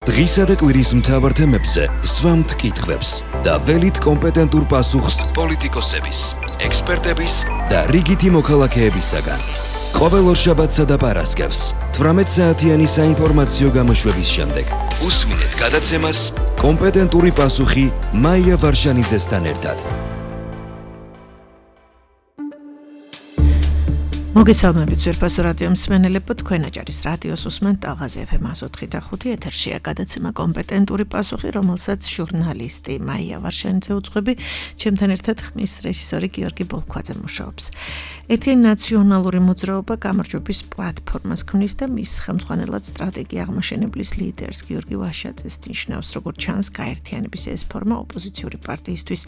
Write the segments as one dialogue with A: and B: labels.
A: დღისა და კვირის მთავარ თემებზე სვამთ კითხვებს და ველით კომპეტენტურ პასუხს პოლიტიკოსების, ექსპერტების და რიგითი მოქალაქეებისაგან. ყოველ ორშაბათსა და პარასკევს 18 საათიანი საინფორმაციო გამოშვების შემდეგ უსმინეთ გადაცემას კომპეტენტური პასუხი მაია ვარშანიძესთან ერთად.
B: მოგესალმებით ძვირფასო რადიო მსმენელებო, თქვენ აჭარის რადიოს უსმენთ ტალღაზე FM 104.5 ეთერშია გადაცემა კომპეტენტური პასუხი, რომელსაც ჟურნალისტი მაია ვარშანიძე უძღვები, ჩემთან ერთად ხმის რეჟისორი გიორგი ბოლქვაძე მუშაობს. ერთიანი ნაციონალური მოძრაობა გამარჯვების პლატფორმას ქმნის და მის ხელმძღვანელად სტრატეგია აღმაშენებლის ლიდერს გიორგი ვაშაძეს ნიშნავს, როგორც ჩანს, გაერთიანების ეს ფორმა ოპოზიციური პარტიისთვის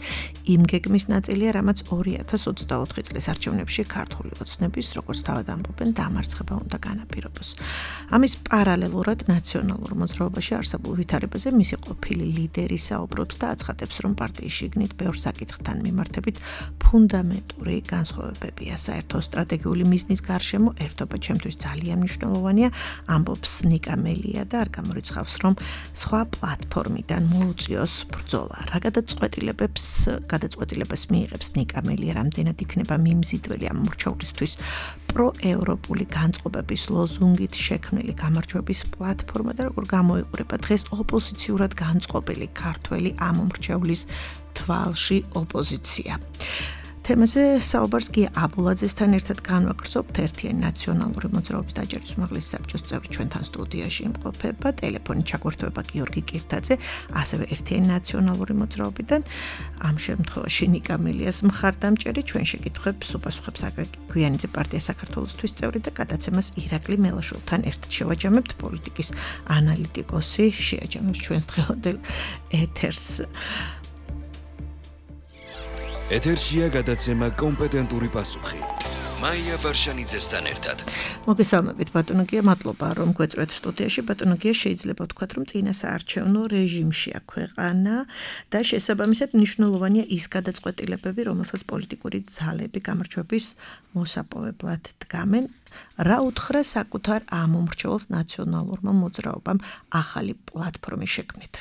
B: იმ გეგმის ნაწილია, რამაც 2024 წლის არჩევნებში ქართული ოცნების როგორც თავად ამბობენ, დამარცხება უნდა განაპირობოს. ამის პარალელურად ნაციონალურ მოძრაობაში არსებულ ვითარებაზე მისი ყოფილი ლიდერი საუბრობს და აცხადებს, რომ პარტიის შიგნით ბევრ საკითხთან მიმართებით ფუნდამენტური განსხვავებებია. საერთო სტრატეგიული მიზნის გარშემო ერთობა ჩემთვის ძალიან მნიშვნელოვანია, ამბობს ნიკა მელია და არ გამორიცხავს, რომ სხვა პლატფორმიდან მოუწიოს ბრძოლა. რა გადაწყვეტილებას მიიღებს ნიკა მელია, რამდენად იქნება მიმზიდველი ამ მრჩევლისთვის პროევროპული განწყობების ლოზუნგით შექმნილი გამარჯვების პლატფორმა და როგორ გამოიყურება დღეს ოპოზიციურად განწყობილი ქართველი ამ მრჩევლის თვალში ოპოზიცია. თემაზე საუბარს გია აბულაძესთან ერთად განვაგრძობთ. ერთიანი ნაციონალური მოძრაობის დაჯერის უმაღლესი საბჭოს წევრი ჩვენთან სტუდიაში იმყოფება, ტელეფონით ჩაგვერთვება გიორგი კირთაძე, ასევე ერთიანი ნაციონალური მოძრაობიდან, ამ შემთხვევაში ნიკა მელიას მხარდამჭერი, ჩვენ შეკითხვებს უპასუხებს აგვიანიძე პარტია საქართველოსთვის წევრი და გადაცემას ირაკლი მელაშვილთან ერთად შევაჯამებთ, პოლიტიკის ანალიტიკოსი შეაჯამებს ჩვენს დღევანდელ ეთერს.
A: ეთერშია გადაცემა კომპეტენტური პასუხი. მაია ვარშანიძესთან ერთად.
B: მოგესალმებით ბატონო გია, მადლობა რომ გვეწვევთ სტუდიაში. ბატონო გია, შეიძლება ვთქვათ, რომ წინა საარჩევნო რეჟიმშია ქვეყანა და შესაბამისად მნიშვნელოვანია ის გადაწყვეტილებები, რომელსაც პოლიტიკური ძალები გამარჯვების მოსაპოვებლად დგამენ. რა უთხრა საკუთარ ამ მომრჩეველს ნაციონალურმა მოძრაობამ ახალი პლატფორმის შექმნით?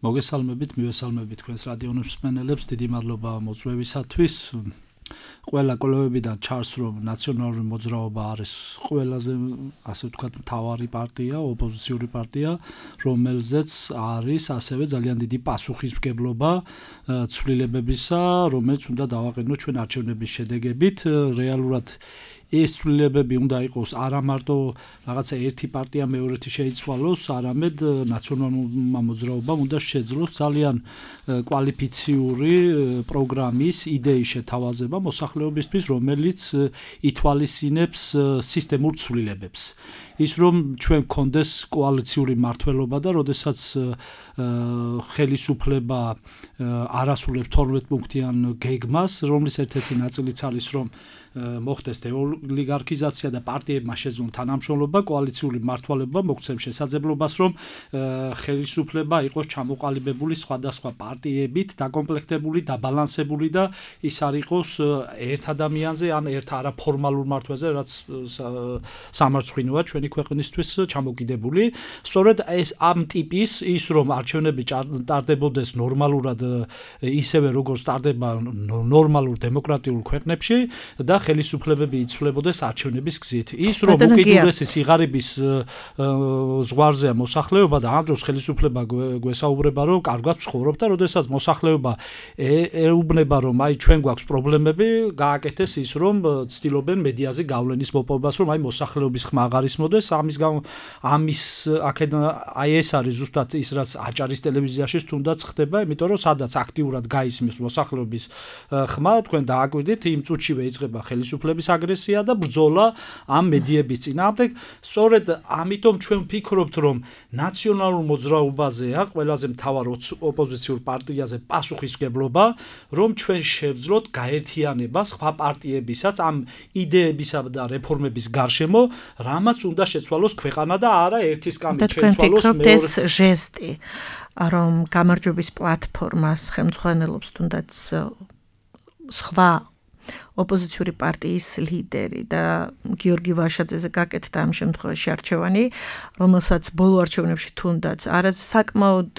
C: მოგესალმებით, მივესალმებით თქვენს რადიო მსმენელებს, დიდი მადლობა მოწვევისათვის. ყველა კოლეგებიდან ჩანს, რომ ნაციონალური მოძრაობა არის ყველაზე, ასე ვთქვათ, მთავარი პარტია, ოპოზიციური პარტია, რომელზეც არის ასევე ძალიან დიდი პასუხისმგებლობა ცვლილებებისა, რომელიც უნდა დავაყენოთ ჩვენ არჩევნების შედეგებით. რეალურად ეს ცვლილებები უნდა იყოს არა მარტო რაღაცა ერთი პარტია მეორეთი შეიცვალოს, არამედ ნაციონალურმა მოძრაობამ უნდა შეძლოს ძალიან კვალიფიციური პროგრამის იდეის შეთავაზება მოსახლეობისთვის, რომელიც ითვალისწინებს სისტემურ ცვლილებებს. ის რომ ჩვენ გქონდეს კოალიციური მმართველობა და როდესაც ხელისუფლება არასრულებს 12 პუნქტიან გეგმას, რომლის ერთ-ერთი ნაწილიც არის, რომ მოხდეს ოლიგარქიზაცია და პარტიებმა შეძლონ თანამშრომლობა, კოალიციური მმართველობა მოგცემ შესაძლებლობას, რომ ხელისუფლება იყოს ჩამოყალიბებული სხვადასხვა პარტიებით, დაკომპლექტებული, დაბალანსებული და ის არ იყოს ერთ ადამიანზე ან ერთ არაფორმალურ მმართველზე, რაც სამარცხვინოა ჩვენი ქვეყნისთვის ჩამოკიდებული. სწორედ ეს ამ ტიპის ის რომ არჩევნები ტარდებოდეს ნორმალურად, ისევე როგორც ტარდება ნორმალურ დემოკრატიულ ქვეყნებში და ხელისუფლებები იცვლებოდეს არჩევნების გზით. ის რომ უკიდურესი სიღარიბის ზღვარზეა მოსახლეობა და ამ დროს ხელისუფლება გვესაუბრება, რომ კარგად ცხოვრობ და როდესაც მოსახლეობა ეუბნება, რომ აი ჩვენ გვაქვს პრობლემები, გააკეთეს ის რომ ცდილობენ მედიაზე გავლენის მოპოვებას, რომ აი მოსახლეობის ხმა აღარ ისმოდეს. ამის აქედან აი ეს არის ზუსტად ის, რაც აჭარის ტელევიზიაში თუნდაც ხდება, იმიტომ რომ სადაც აქტიურად გაისმის მოსახლეობის ხმა, თქვენ დააკვირდით, იმ წუთშივე იწყება ხელისუფლების აგრესია და ბრძოლა ამ მედიების წინააღმდეგ. სწორედ ამიტომ ჩვენ ვფიქრობთ, რომ ნაციონალურ მოძრაობაზეა ყველაზე მთავარ ოპოზიციურ პარტიაზე პასუხისმგებლობა, რომ ჩვენ შევძლოთ გაერთიანება სხვა პარტიებისაც ამ იდეებისა და რეფორმების გარშემო, რამაც უნდა შეცვალოს ქვეყანა და არა ერთის კამით შეცვალოს
B: მეორე. ეს ჟესტი, რომ გამარჯვების პლატფორმას ხელმძღვანელობს თუნდაც სხვა ოპოზიციური პარტიის ლიდერი და გიორგი ვაშაძეზე გაკეთდა ამ შემთხვევაში არჩევანი, რომელსაც ბოლო არჩევნებში თუნდაც არა საკმაოდ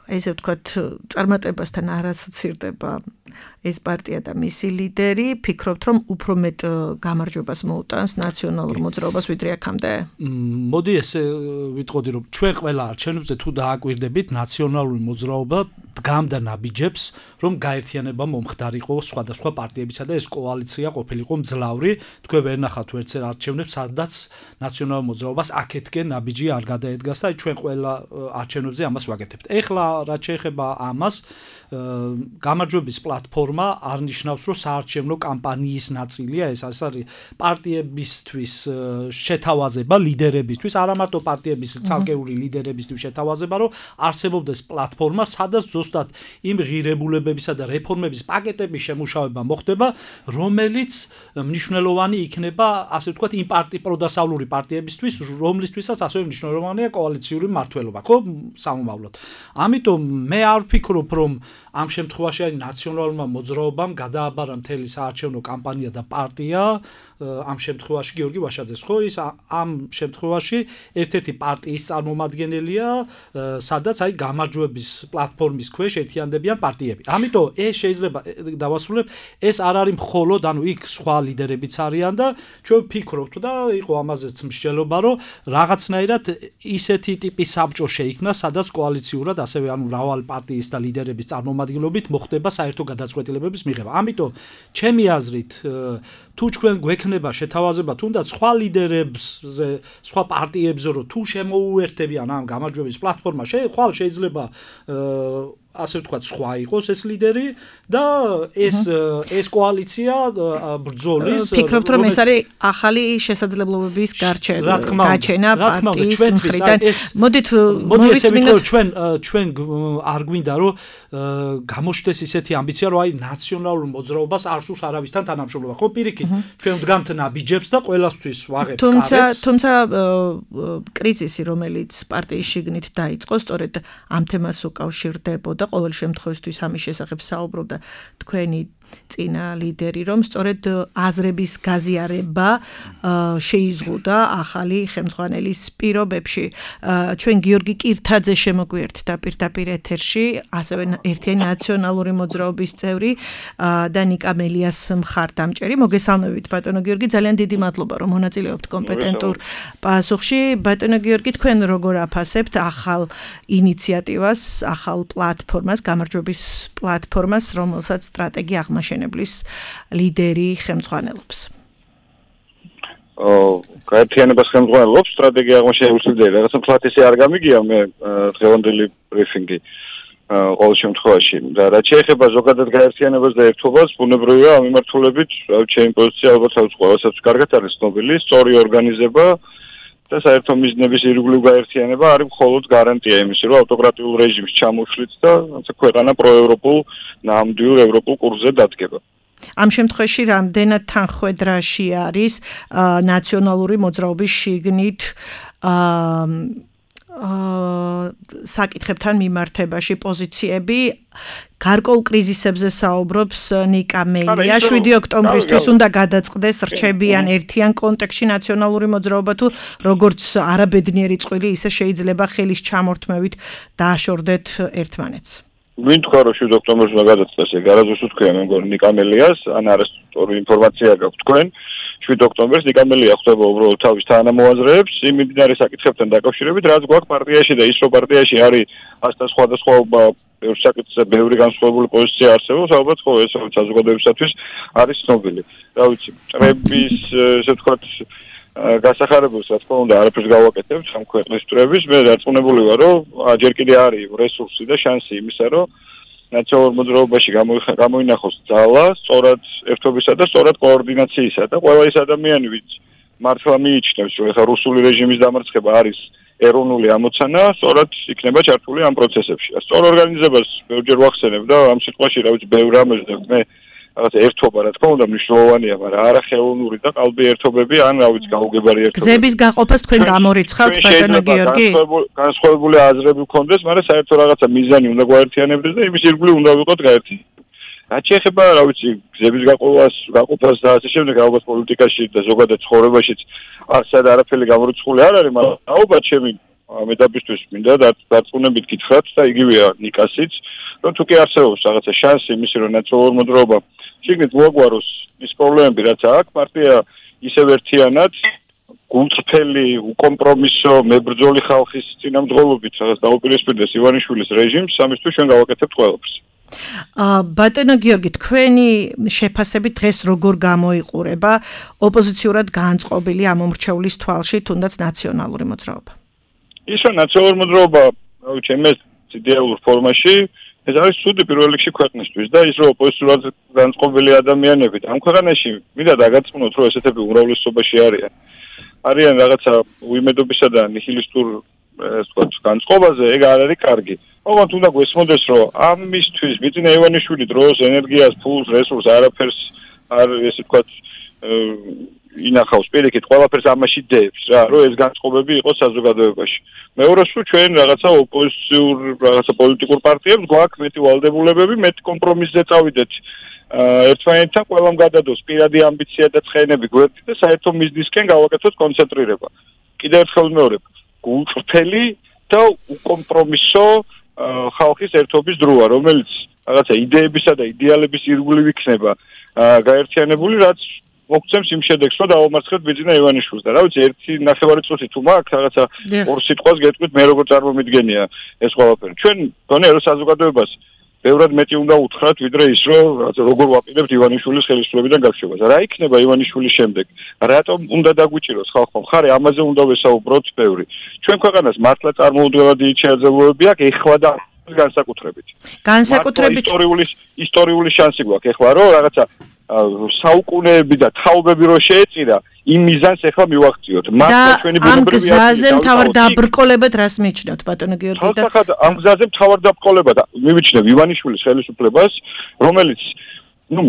B: ესე ვთქვათ, წარმატებასთან არ ასოცირდება ეს პარტია და მისი ლიდერი, ფიქრობთ, რომ უფრო მეტ გამარჯვებას მოუტანს ნაციონალურ მოძრაობას ვიდრე აქამდე?
C: მოდი ესე ვიტყოდი, რომ ჩვენ ყველა არჩევნებზე თუ დააკვირდებით, ნაციონალური მოძრაობა დგამდა ნაბიჯებს, რომ გაერთიანება მომხდარიყო სხვადასხვა პარტიებისა და ეს კოალიცია ყოფილიყო მძლავრი. თქვენ ვერ ნახავთ ვერც არჩევნებს, სადაც ნაციონალურ მოძრაობას აქეთკენ ნაბიჯი არ გადაედგას და ჩვენ ყველა არჩევნებზე ამას ვაკეთებთ. ეხლა რაც შეეხება ამას, გამარჯვების პლატფორმა არ ნიშნავს, რომ საარჩევნო კამპანიის ნაწილია, ეს არის პარტიებისთვის შეთავაზება, ლიდერებისთვის, არა მარტო პარტიების ცალკეული ლიდერებისთვის შეთავაზება, რომ არსებობდეს პლატფორმა, სადაც ზუსტად იმ ღირებულებებისა და რეფორმების პაკეტების შემუშავება მოხდება, რომელიც მნიშვნელოვანი იქნება, ასე ვთქვათ, იმ პროდასავლური პარტიებისთვის, რომლისთვისაც ასევე მნიშვნელოვანია კოალიციური მმართველობა, ხო, სამომავლოდ. ამიტომ მე არ ვფიქრობ, რომ ამ შემთხვევაში ნაციონალურმა მოძრაობამ გადააბარა მთელი საარჩევნო კამპანია და პარტია, ამ შემთხვევაში გიორგი ვაშაძეს, ხო, ის ამ შემთხვევაში ერთ-ერთი პარტიის წარმომადგენელია, სადაც გამარჯვების პლატფორმის ქვეშ ერთიანდებიან პარტიები. ამიტომ ეს შეიძლება დავასრულებ, ეს არ არის მხოლოდ, იქ სხვა ლიდერებიც არიან და ჩვენ ვფიქრობთ და იყო ამაზეც მსჯელობა, რომ რაღაცნაირად ისეთი ტიპის საბჭო შეიქმნა, სადაც კოალიციურად ასევე მრავალი პარტიის და ლიდერების წარმომადგენლობით მოხდება საერთო გადაწყვეტილებების მიღება. ამიტომ ჩემი აზრით, თუ ჩვენ გვექნება შეთავაზება თუნდაც სხვა ლიდერებზე, სხვა პარტიებზე, რომ თუ შემოუერთდებიან ამ გამარჯვების პლატფორმა, ხვალ შეიძლება ასე ვთქვათ, სხვა იყოს ეს ლიდერი და ეს კოალიცია ბრძოლის.
B: ფიქრობთ, რომ ეს არის ახალი შესაძლებლობების გაჩენა პარტიის მხრიდან. მოდით
C: მოვისმინოთ, ჩვენ არ გვინდა, რომ გამოჩნდეს ისეთი ამბიცია, რომ ნაციონალურ მოძრაობას არ სურს არავისთან თანამშრომლობა. ხო, პირიქით, ჩვენ ვდგამთ ნაბიჯებს და ყველასთვის ვაღებთ კარებს.
B: თუმცა კრიზისი, რომელიც პარტიის შიგნით დაიწყო, სწორედ ამ თემას უკავშირდებოდა. ყოველ შემთხვევაში ამის შესახებ საუბრობდა თქვენი წინა ლიდერი, რომ სწორედ აზრების გაზიარება შეიზღუდა ახალი ხელმძღვანელის პირობებში. ჩვენ გიორგი კირთაძე შემოგვიერთდა პირდაპირ ეთერში, ასევე ერთიანი ნაციონალური მოძრაობის წევრი და ნიკა მელიას მხარდამჭერი. მოგესალმებით, ბატონო გიორგი, ძალიან დიდი მადლობა, რომ მონაწილეობთ კომპეტენტურ პასუხში. ბატონო გიორგი, თქვენ როგორ აფასებთ ახალ ინიციატივას, ახალ პლატფორმას, გამარჯვების პლატფორმას, რომელსაც სტრატეგია აღმაშენებლის ლიდერი ხელმძღვანელობს?
D: გაერთიანებას ხელმძღვანელობს სტრატეგია აღმაშენებლის ლიდერი. რაღაცა ფლატისი არ გამიგია მე დღევანდელი ბრიფინგი ყოველ შემთხვევაში. და რაც შეეხება ზოგადად გაერთიანებას და ერთობას, ბუნებრივია ამ მიმართულებით, ჩემი პოზიცია ალბათ ყოველსაც კარგად არის ცნობილი, სწორი ორგანიზება და საერთო მიზნების ირგვლივ გაერთიანება არის მხოლოდ გარანტია იმისა, რომ ავტოკრატიულ რეჟიმს ჩამოშლით და ქვეყანა პროევროპულ, ნამდვილ ევროპულ კურსზე დადგება.
B: ამ შემთხვევაში რამდენად თანხვედრაში არის ნაციონალური მოძრაობის შიგნით საკითხებთან მიმართებაში პოზიციები? გარკვეულ კრიზისებზე საუბრობს ნიკა მელია. 7 ოქტომბრისთვის უნდა გადაწყდეს რჩებიან ერთიან კონტექსტში ნაციონალური მოძრაობა, თუ როგორც არაბედნიერი წყვილი, ისე შეიძლება ხელის ჩამორთმევით დააშორდეთ ერთმანეთს.
D: ვინ თქვა, რომ 7 ოქტომბერს უნდა გადაწყდეს? ეგ არასდროს უთქვია მე მგონი ნიკა მელიას, ან არასწორი ინფორმაცია გაქვთ თქვენ. 7 ოქტომბერს ნიკა მელია ხვდება უბრალოდ თავის თანამოაზრეებს იმ მიმდინარე საკითხებთან დაკავშირებით, რაც გვაქვს პარტიაში და ის რომ პარტიაში არის ასთან სხვადასხვაობა ბევრ საკითხზე ბევრი განსხვავებული პოზიცია არსებობს, ალბათ ხო ეს საზოგადოებისათვის არის ცნობილი. რა ვიცი, წრების ესე ვთქვათ გასახარებულს რა თქმა უნდა არაფერს გავაკეთებ ამ ქვეყნის წრების, მე დარწმუნებული ვარ, რომ ჯერ კიდე არის რესურსი და შანსი იმისა, რომ ნაციონალურ მოძრაობაში გამოინახოს ძალა, სწორად ერთობისა და სწორად კოორდინაციისა და ყველა ის ადამიანი, ვინც მართლა მიიჩნევს, რომ ეხლა რუსული რეჟიმის დამარცხება არის ეროვნული ამოცანა, სწორად იქნება ჩართული ამ პროცესებში. სწორ ორგანიზებას ბევრჯერ ვახსენებ და ამ სიტყვაში რა ვიცი ბევრ რამეს მე რაღაც ერთობა რა თქმა უნდა მნიშვნელოვანია, მაგრამ არა ხელოვნური და ყალბი ერთობები, ან რა ვიცი გაუგებარი ერთობები.
B: გზების გაყოფას თქვენ გამორიცხავთ, ბატონო გიორგი?
D: განსხვავებული აზრები გქონდეს, მაგრამ საერთო რაღაცა მიზანი უნდა გაერთიანებდეს და იმის ირგვლივ უნდა ვიყოთ გაერთიანებული. რაც შეეხება, რა ვიცი, გზების გაყოფას და ასე შემდეგ, ალბათ პოლიტიკაში და ზოგადად ცხოვრებაშიც ასად არაფერი გამორიცხული არ არის, მაგრამ ალბათ ჩემი მედაბისთვის მინდა დარწმუნებით გითხრათ და იგივეა ნიკასიც, რომ თუ კი არსებობს რაღაცა შანსი იმისი, რომ ნაციონალურ მოძრაობა შიგნით მოაგვაროს ის პრობლემები, რაც აქვს, პარტია ისევ ერთიანად გულწრფელი, უკომპრომისო, მებრძოლი ხალხის წინამძღოლობით რაღაც დაუპირისპირდეს ივანიშვილის რეჟიმს, ამისთვის ჩვენ გავაკეთებთ ყველაფერს.
B: ბატონო გიორგი, თქვენი შეფასებით დღეს როგორ გამოიყურება ოპოზიციურად განწყობილი ამომრჩეულის თვალში, თუნდაც ნაციონალური მოძრაობა?
D: ის რომ ნაციონალური მოძრაობა, ჩემს იდეალურ ფორმაში, ეს არის ცუდი პირველ რიგში ქვეყნისთვის და ის რომ ოპოზიციურად განწყობილი ადამიანები ამ ქვეყანაში მინდა დაგაწმუნოთ, რომ ესეთები უმრავლესობაში არიან რაღაცა უიმედობისა და ნიჰილისტურ განწყობაზე, ეგ არ არის კარგი. ოღონდ უნდა გვესმოდეს, რომ ამისთვის ბიძინა ივანიშვილი დროს, ენერგიას, ფულს, რესურსს არაფერს არ ესე ვთქვათ ინახავს პირიქით, ყველაფერს ამაში დებს რა, რომ ეს განწყობები იყოს საზოგადოებაში. მეორე სულ ჩვენ რაღაცა ოპოზიციურ, რაღაცა პოლიტიკურ პარტიებს გვაქვს მეტი ვალდებულებები, მეტი კომპრომისზე წავიდეთ. ერთმანეთთან ყველამ გადადოს პირადი ამბიცია და ცხენები გვერდით და საერთო მიზნისკენ გავაკეთოთ კონცენტრირება. კიდევ ერთხელ ვიმეორებ, გულწრფელი და უკომპრომისო ხალხის ერთობის დროა, რომელიც რაღაცა იდეებისა და იდეალების ირგვლივ იქნება გაერთიანებული, რაც მოგცემს იმ შედეგს, რომ დავამარცხეთ ბიძინა ივანიშვილს და რა ვიცი, ერთი ნახევარი წუთი თუ მაქვს რაღაცა ორ სიტყვას გეტყვით, მე როგორ წარმომიდგენია ეს ყველაფერი. ჩვენ გონია რომ საზოგადოებას ბევრად მეტი უნდა უთხრათ, ვიდრე ის, რომ როგორ ვაპირებთ ივანიშვილის ხელისუფლებიდან გაქცევას. რა იქნება ივანიშვილის შემდეგ? რატომ უნდა დაგვიჭიროს ხალხმა მხარე? ამაზე უნდა ვესაუბროთ ბევრი. ჩვენ ქვეყანას მართლა წარმოუდგენლად დიდი შეაძლებლობები აქვს, ეხლა და განსაკუთრებით. ისტორიული შანსი გვაქვს ეხლა, რომ რაღაცა საუკუნეები და თაობები რო შეეწირა, იმ მიზანს ეხლა მივაღწიოთ.
B: მართლა ჩვენი ბუნებრივი ამ გზაზე მთავარ დაბრკოლებად რას მიჩნევთ, ბატონო გიორგი და
D: ამ გზაზე მთავარ დაბრკოლებად მივიჩნევ ივანიშვილის ხელისუფლებას, რომელიც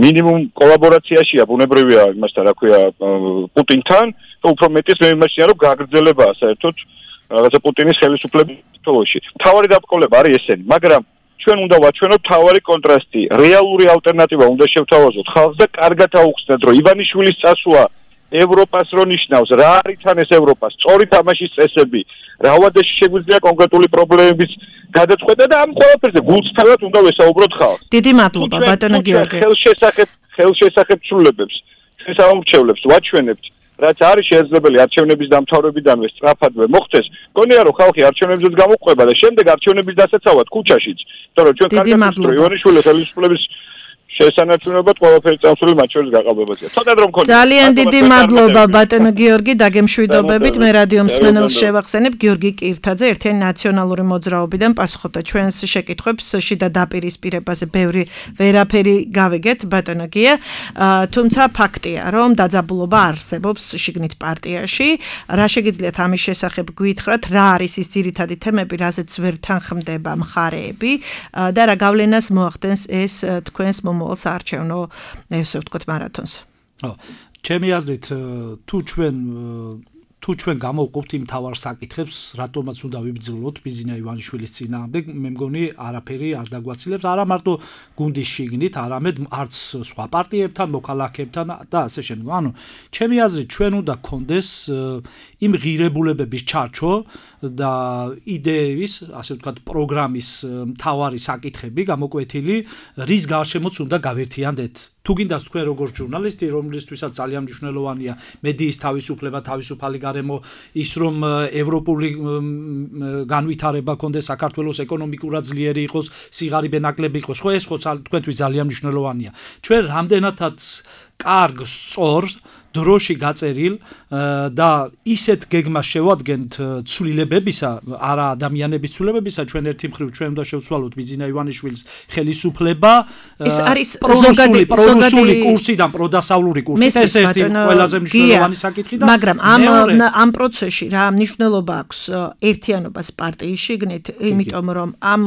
D: მინიმუმ კოლაბორაციაშია ბუნებრივია იმასთან, რა ქვია, პუტინთან და უფრო მეტის მე იმაშია, რომ გაგრძელებაა საერთოდ რაღაცა პუტინის ხელისუფლების თვალში. მთავარი დაბრკოლება არის ესენი, მაგრამ ჩვენ უნდა ვაჩვენოთ თავარი კონტრასტი, რეალური ალტერნატივა უნდა შევთავაზოთ ხალხს და კარგად აუხსნათ, რომ ივანიშვილის წასვლა ევროპას რო ნიშნავს, რა არის თან ეს ევროპა, სწორი თამაშის წესები, რა ვადაში შეგვიძლია კონკრეტული პრობლემების გადაწყვეტა და ამ ყველაფერზე გულწრფელად უნდა ვესაუბროთ ხალხს.
B: დიდი მადლობა, ბატონო გიორგი.
D: ხელშესახებცულებებს, შესაბამრჩევლებს ვაჩვენებთ, რაც არის შესაძლებელი არჩევნების დამთავრებიდანვე სწრაფადვე მოხდეს, გონია რომ ხალხი არჩევნებზეც გამოყვება და შემდეგ არჩევნების დასაცავად ქუჩაშიც, იმიტომ რომ ჩვენ კარგად ვსწრო ივანიშვილის ხელისუფლების შესანარჩუნებლად ყველაფერი წამსული მათ შორის გაყალბებაზეა. ცოტა დრო მქონდა.
B: ძალიან დიდი მადლობა ბატონო გიორგი, დაგემშვიდობებით. მე რადიო მსმენელს შევახსენებ გიორგი კირთაძე, ერთიანი ნაციონალური მოძრაობიდან პასუხობდა ჩვენს შეკითხვებს შიდა დაპირისპირებაზე. ბევრი ვერაფერი გავიგეთ ბატონო გია, თუმცა ფაქტია, რომ დაძაბულობა არსებობს შიგნით პარტიაში. რა შეგიძლიათ ამის შესახებ გითხრათ, რა არის ის ძირითადი თემები, რაზეც ვერ თანხმდება მხარეები და რა გავლენას მოახდენს ეს თქვენს საარჩევნო ესე ვთქვათ მარათონს.
C: ჩემი აზრით თუ ჩვენ გამოვყოფთ იმ თავარ საკითხებს, რატომაც უნდა ვიბრძოლოთ ბიძინა ივანიშვილის წინააღმდეგ, მე მგონი არაფერი არ დაგვაცილებს, არა მარტო გუნდის შიგნით, არამედ არც სხვა პარტიებთან, მოქალაქეებთან და ასე შემდეგ. ანუ ჩემი აზრით ჩვენ უნდა გქონდეს იმ ღირებულებების ჩარჩო და იდეების, ასე ვთქვათ, პროგრამის მთავარი საკითხები გამოკვეთილი, რის გარშემოც უნდა გავერთიანდეთ. თუ გინდას თქვენ როგორც ჟურნალისტი, რომლისთვისაც ძალიან მნიშვნელოვანია მედიის თავისუფლება, თავისუფალი გარემო, ის რომ ევროპული განვითარება კონდეს, საქართველოს ეკონომიკურად ძლიერი იყოს, სიღარიბე ნაკლები იყოს, ხო ეს ხო თქვენთვის ძალიან მნიშვნელოვანია. ჩვენ რამდენადაც კარგ, სწორ დროში გაწერილ და ისეთ გეგმას შევადგენთ ცვლილებებისა, არა ადამიანების ცვლილებებისა, ჩვენ ერთი მხრივ ჩვენ უნდა შევცვალოთ ბიძინა ივანიშვილის ხელისუფლება,
B: ეს არის
C: პრორუსული კურსიდან პროდასავლური კურსით, ეს ერთი ყველაზე მნიშვნელოვანი საკითხი და
B: მაგრამ ამ პროცესში რა მნიშვნელობა აქვს ერთიანობას პარტიის შიგნით, იმიტომ რომ ამ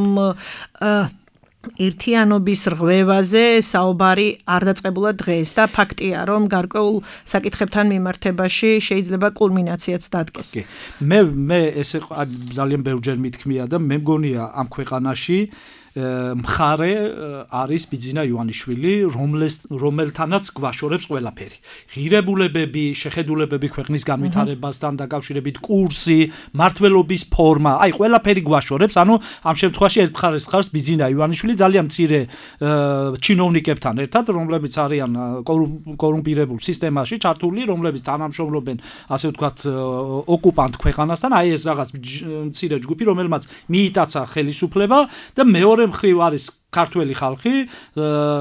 B: ერთიანობის რღვევაზე საუბარი არ დაწყებულა დღეს და ფაქტია, რომ გარკვეულ საკითხებთან მიმართებაში შეიძლება კულმინაციაც დადგეს.
C: მე ესე ძალიან ბევრჯერ მithქმია და მე მგონია ამ ქვეყანაში მხარე არის ბიძინა ივანიშვილი, რომელთანაც გვაშორებს ყველაფერი. ღირებულებები, შეხედულებები ქვეყნის განვითარებასთან დაკავშირებით, კურსი, მმართველობის ფორმა, აი ყველაფერი გვაშორებს, ანუ ამ შემთხვევაში ერთ მხარეს ხარს ბიძინა ივანიშვილი ძალიან მცირე ჩინოვნიკებთან ერთად, რომლებიც არიან კორუმპირებულ სისტემაში ჩართული, რომლებიც თანამშრომლობენ, ასე ვთქვათ, ოკუპანტ ქვეყანასთან, აი ეს რაღაც მცირე ჯგუფი, რომელმაც მიიტაცა ხელისუფლება და მეორე მხრივ არის ქართველი ხალხი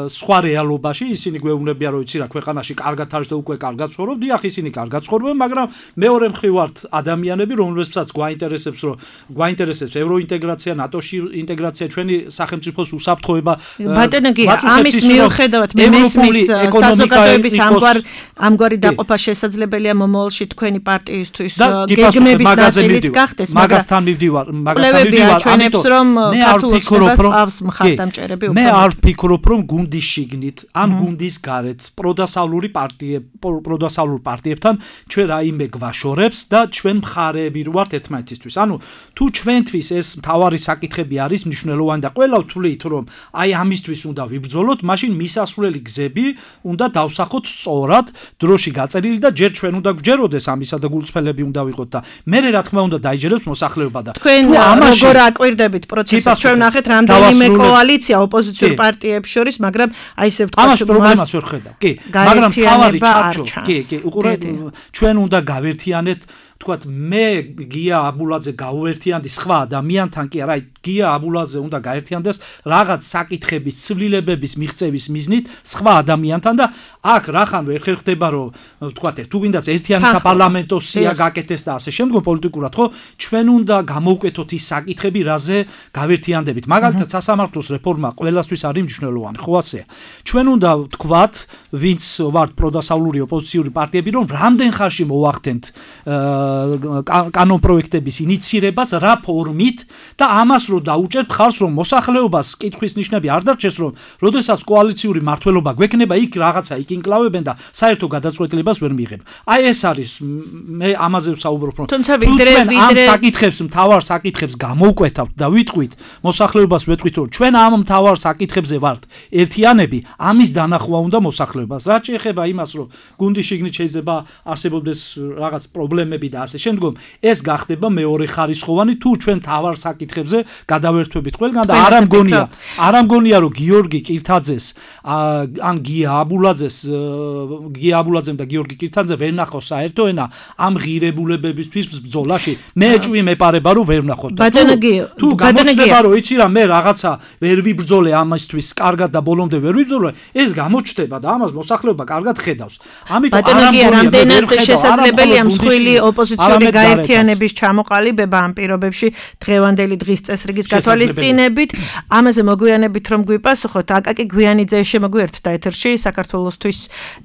C: სხვა რეალობაში ისინი გვეუბნებიან რომ იცი რა ქვეყანაში კარგად არის და უკვე კარგად ცხოვრობ, დიახ ისინი კარგად ცხოვრობენ, მაგრამ მეორე მხრივ ვართ ადამიანები, რომლებსაც გვაინტერესებს ევროინტეგრაცია, ნატოში ინტეგრაცია, ჩვენი სახელმწიფოს უსაფრთხოება.
B: ბატონო გია, ამის მიუხედავად მე მესმის საზოგადოების ამგვარი დაყოფა შესაძლებელია მომავალში თქვენი პარტიისთვის გეგმების ნაწილიც გახდეს,
C: მაგასთან მივდივარ,
B: ჩვენებს რომ ქართულობას ყავს მხარდამჭერები.
C: მე არ ვფიქრობ რომ გუნდის შიგნით ან გუნდის გარეთ პროდასავლურ პარტიებთან ჩვენ რაიმე გვაშორებს და ჩვენ მხარეები ვართ ერთმანეთისთვის. ანუ თუ ჩვენთვის ეს მთავარი საკითხები არის მნიშვნელოვანი და ყველა ვთვლით რომ აი ამისთვის უნდა ვიბრძოლოთ, მაშინ მისასვლელი გზები უნდა დავსახოთ სწორად, დროში გაწერილი და ჯერ ჩვენ უნდა გვჯეროდეს ამისა და გულწრფელები უნდა ვიყოთ და მე რა თქმა უნდა დაიჯერებს მოსახლეობა და
B: თქვენ როგორ აკვირდებით პროცესს, ჩვენ ნახეთ რამდენიმე კოალიცია ოპოზიციურ პარტიებს შორის, მაგრამ აი ესე ვთქვათ,
C: ამაში პრობლემას ვერ ხედავ. კი, მაგრამ თავარი ჩარჩო, კი, უყურეთ, ჩვენ უნდა გავერთიანეთ, ვთქვათ, მე გია აბულაძე გავერთიანდი სხვა ადამიანთან, კი არა, გია აბულაძე უნდა გაერთიანდეს რაღაც საკითხების, ცვლილებების მიღწევის მიზნით სხვა ადამიანთან და აქ რახან ვერ ხერხდება რომ ვთქვათ, თუ გინდაც ერთიანი საპარლამენტო სია გაკეთეს და ასე შემდგომ პოლიტიკურად, ხო, ჩვენ უნდა გამოვკვეთოთ ის საკითხები, რაზე გავერთიანდებით. მაგალითად, სასამართლოს რეფორმა ყველასთვის არის მნიშვნელოვანი, ხო ასეა. ჩვენ უნდა ვთქვათ, ვინც ვართ პროდასავლური ოპოზიციური პარტიები, რომ რამდენ ხანში მოვახდენთ კანონ პროექტების ინიცირებას რა ფორმით და ამას რომ დაუჭერთ ხარს რომ მოსახლეობას კითხვის ნიშნები არ დარჩეს რომ როდესაც კოალიციური მმართველობა გვექნება იქ რაღაცა იკინკლავებენ და საერთო გადაწყვეტილებას ვერ მიიღებ. აი ეს არის მე ამაზე ვსაუბრობ რომ ჩვენ ამ საკითხებს მთავარ საკითხებს გამოვკვეთავთ და ვიტყვით მოსახლეობას ვეტყვით რომ ჩვენ ამ მთავარ საკითხებზე ვართ ერთიანები, ამის დანახვა უნდა მოსახლეობას. რაც შეეხება იმას რომ გუნდის შიგნით შეიძლება არსებობდეს რაღაც პრობლემები და ასე შემდგომ ეს გახდება მეორე ხარისხოვანი თუ ჩვენ თავარ საკითხებზე გადავერთვებით ყველგან და არ ამგონია რომ გიორგი კირთაძეს ან გია აბულაძემ და გიორგი კირთაძე ვერ ნახოს საერთო ენა ამ ღირებულებებისთვის ბრძოლაში მე ჭვი მეპარება რომ ვერ ნახოთ თუ გამოჩნდება რომ იცი რა მე რაღაცა ვერ ვიბრძოლე ამისთვის კარგად და ბოლომდე ვერ ვიბრძოლე ეს გამოჩნდება და ამას მოსახლეობა კარგად ხედავს. ამიტომ არ ამგონია
B: შესაძლებელია მსხვილი ოპოზიციური გაერთიანების ჩამოყალიბება ამ პირობებში დღევანდელი დღის წესრიგის გათვალისწინებით. ამაზე მოგვიანებით რომ გვიპასუხოთ, აკაკი გვიანიძე შემოგვიერთდა ეთერში, საქართველოსთვის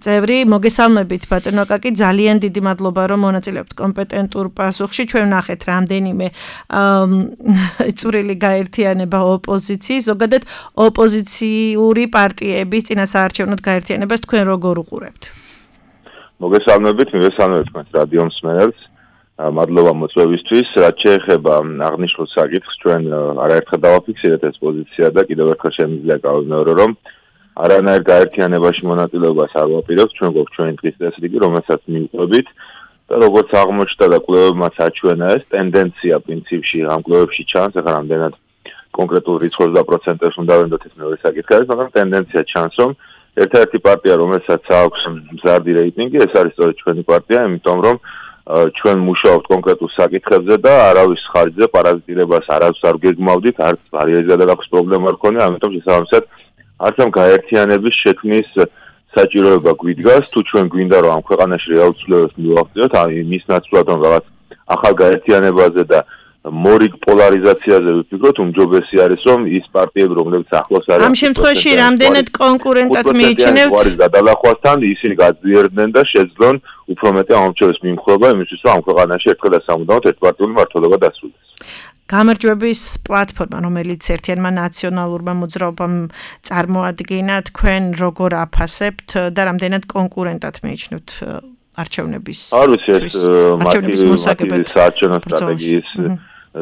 B: წევრი. მოგესალმებით ბატონო აკაკი, ძალიან დიდი მადლობა რომ მონაწილეობთ კომპეტენტურ პასუხში. ჩვენ ვნახეთ რამდენიმე წვრილი გაერთიანება ოპოზიციის, ზოგადად ოპოზიციური პარტიების წინასაარჩევნოდ გაერთიანებას თქვენ როგორ უყურებთ?
E: მოგესალმებით, მივესალმებით თქვენს რადიო მსმენელს. მადლობა მოწვევისთვის. რაც შეეხება აღნიშნულ საკითხს, ჩვენ არაერთხელ დავაფიქსირეთ ეს პოზიცია და კიდევ ერთხელ შემიძლია გავიმეორო, რომ არანაირ გაერთიანებაში მონაწილეობას არ ვაპირებთ. ჩვენ გვაქვს ჩვენი დღის წესრიგი, რომელსაც მივყვებით და როგორც აღმოჩნდა და კვლევებმაც აჩვენა, ეს ტენდენცია პრინციპში ამ კვლევებში ჩანს, ახლა რამდენად კონკრეტულ რიცხვებს და პროცენტებს უნდა ვენდოთ ეს მეორე საკითხი არის, მაგრამ ტენდენცია ჩანს, რომ ერთადერთი პარტია, რომელსაც აქვს მზარდი რეიტინგი, ეს არის სწორედ ჩვენი პარტია, იმიტომ რომ ჩვენ მუშაობთ კონკრეტულ საკითხებზე და არავის ხარჯზე პარაზიტირებას არც არ გეგმავდით, არც ბარიერის გადალახვის პრობლემა არ ქონია, ამიტომ შესაბამისად არც ამ გაერთიანების შექმნის საჭიროება გვიდგას, თუ ჩვენ გვინდა რომ ამ ქვეყანაში რეალურ ცვლილებებს მივახციოთ, მის ნაცვლად რომ რაღაც ახალ გაერთიანებაზე და მორიგ პოლარიზაციაზე ვიფიქროთ, უმჯობესი არის რომ ის პარტიები, რომლებიც ახლოს არის
B: ამ შემთხვევაში რამდენად კონკურენტად მიიჩნევთ
E: არის გადალახვასთან, ისინი გაძლიერდნენ და შეძლონ უფრო მეტი ამორჩევის მიმხრობა იმისთვის, რომ ამ ქვეყანაში ერთხელ და სამუდამოდ ერთპარტიული მმართველობა დასრულდეს.
B: გამარჯვების პლატფორმა, რომელიც ერთიანმა ნაციონალურმა მოძრაობამ წარმოადგინა, თქვენ როგორ აფასებთ და რამდენად კონკურენტად მიიჩნევთ არჩევნების
E: არ ვიცი ეს მათი საარჩევნო სტრატეგიის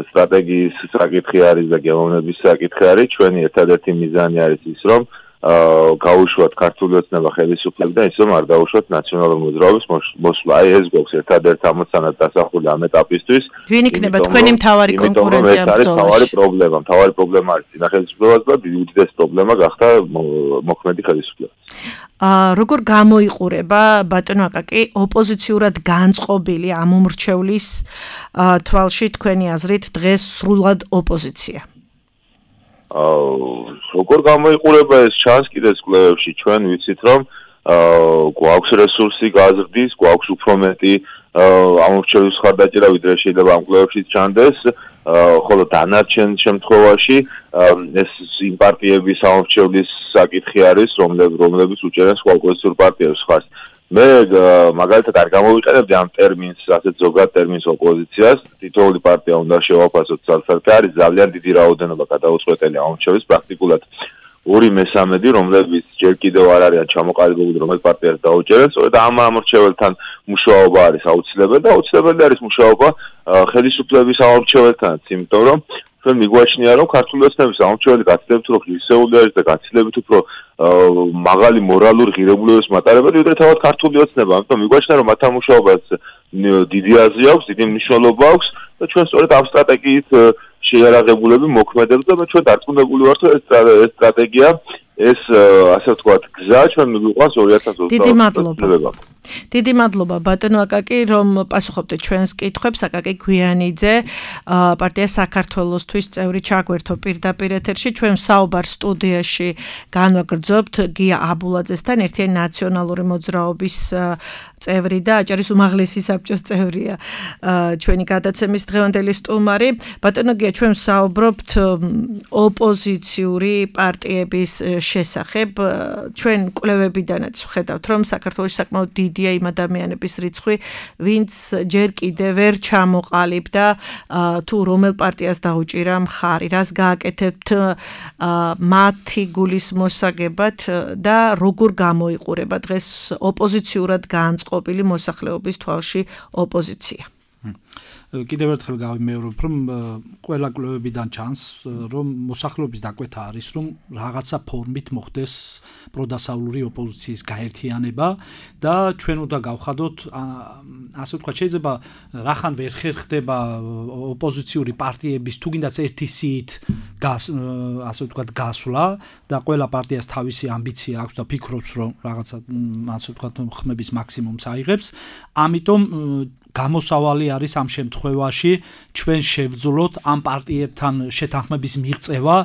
E: სტრატეგიის საკითხი არის და გემოვნების საკითხი არის. ჩვენი ერთადერთი მიზანი არის ის, რომ გაუშვათ ქართული ოცნება ხელისუფლებიდან, ის რომ არ დაუშვათ ნაციონალური მოძრაობის მოსვლა. აი ეს გვაქვს ერთადერთ ამოცანად დასახული ამ ეტაპისთვის.
B: ვინ იქნება თქვენი მთავარი კონკურენტი ამ ბრძოლაში?
E: მთავარი პრობლემა არის წინა ხელისუფლებას და უდიდესი პრობლემა გახდა მოქმედი ხელისუფლება.
B: როგორ გამოიყურება ბატონო აკაკი ოპოზიციურად განწყობილი ამ უმრჩევლის თვალში თქვენი აზრით დღეს სრულად ოპოზიცია?
E: როგორ გამოიყურება ეს ჩანს კიდეც კვლევებში ჩვენ ვიცით რომ გვაქვს რესურსი გაზრდის, გვაქვს უფრო მეტი ამორჩევის ხარდაჭერა ვიდრე შეიძლება ამ კვლევებშიც ჩანდეს, ხოლო დანარჩენ შემთხვევაში ეს იმ პარტიების ამორჩევლის საკითხი არის, რომლებიც უჭერენ სხვა ოპოზიციურ პარტიებს ხარს. მე მაგალითად არ გამოვიყენებდი ამ ტერმინს, ასეთ ზოგად ტერმინს ოპოზიციას. თითოეული პარტია უნდა შევაფასოთ ძალსარდლად. არის ძალიან დიდი რაოდენობა გადაუწყვეტელი ამორჩევის, პრაქტიკულად 2/3, რომლებიც ჯერ კიდევ არ არიან ჩამოყალიბებული, რომელიც პარტიას დაუჭერენ. სწორედ ამ ამორჩეველთან მუშაობა არის აუცილებელი და აუცილებელი არის მუშაობა ხელისუფლების ამორჩეველთანაც, იმიტომ რომ ჩვენ მიგვაჩნია რომ ქართული ოცნების ამორჩეველი გაცილებით უფრო ღირსეული არის და გაცილებით უფრო მაღალი მორალური ღირებულებების მატარებელი, ვიდრე თავად ქართული ოცნება. ამიტომ მიგვაჩნია რომ მათთან მუშაობას დიდი აზრი აქვს, დიდი მნიშვნელობა აქვს და ჩვენ სწორედ ამ სტრატეგიით შეიარაღებულები მოქმედებს და ჩვენ დარწმუნებული ვართ რომ ეს სტრატეგია ეს ასე ვთქვათ გზა ჩვენ მიგვიყვანს 2020 წლამდე.
B: დიდი მადლობა ბატონო აკაკი რომ პასუხობდეთ ჩვენს კითხვებს. აკაკი გვიანიძე პარტია საქართველოსთვის წევრი ჩაგვერთო პირდაპირ ეთერში. ჩვენ საუბარ სტუდიაში განვაგრძობთ გია აბულაძესთან, ერთიანი ნაციონალური მოძრაობის წევრი და აჭარის უმაღლესი საბჭოს წევრია ჩვენი გადაცემის დღევანდელი სტუმარი. ბატონო გია, ჩვენ საუბრობთ ოპოზიციური პარტიების შესახებ. ჩვენ კვლევებიდანაც ვხედავთ რომ საქართველოში საკმაოდ დიდია იმ ადამიანების რიცხვი, ვინც ჯერ კიდევ ვერ ჩამოყალიბდა თუ რომელ პარტიას დაუჭირა მხარი, რას გააკეთებთ მათი გულის მოსაგებად და როგორ გამოიყურება დღეს ოპოზიციურად განწყობილი მოსახლეობის თვალში ოპოზიცია.
C: კიდევ ერთხელ გავიმეორებ, რომ ყველა კვლევებიდან ჩანს, რომ მოსახლეობის დაკვეთა არის, რომ რაღაცა ფორმით მოხდეს პროდასავლური ოპოზიციის გაერთიანება და ჩვენ უნდა გავხადოთ, ასე ვთქვათ, შეიძლება რახან ვერ ხერხდება ოპოზიციური პარტიების თუგინდაც ერთი სიით ასე ვთქვათ გასვლა და ყველა პარტიას თავისი ამბიცია აქვს და ფიქრობს, რომ რაღაცა ასე ვთქვათ ხმების მაქსიმუმს აიღებს. ამიტომ გამოსავალი არის ამ შემთხვევაში ჩვენ შევძლოთ ამ პარტიებთან შეთანხმების მიღწევა,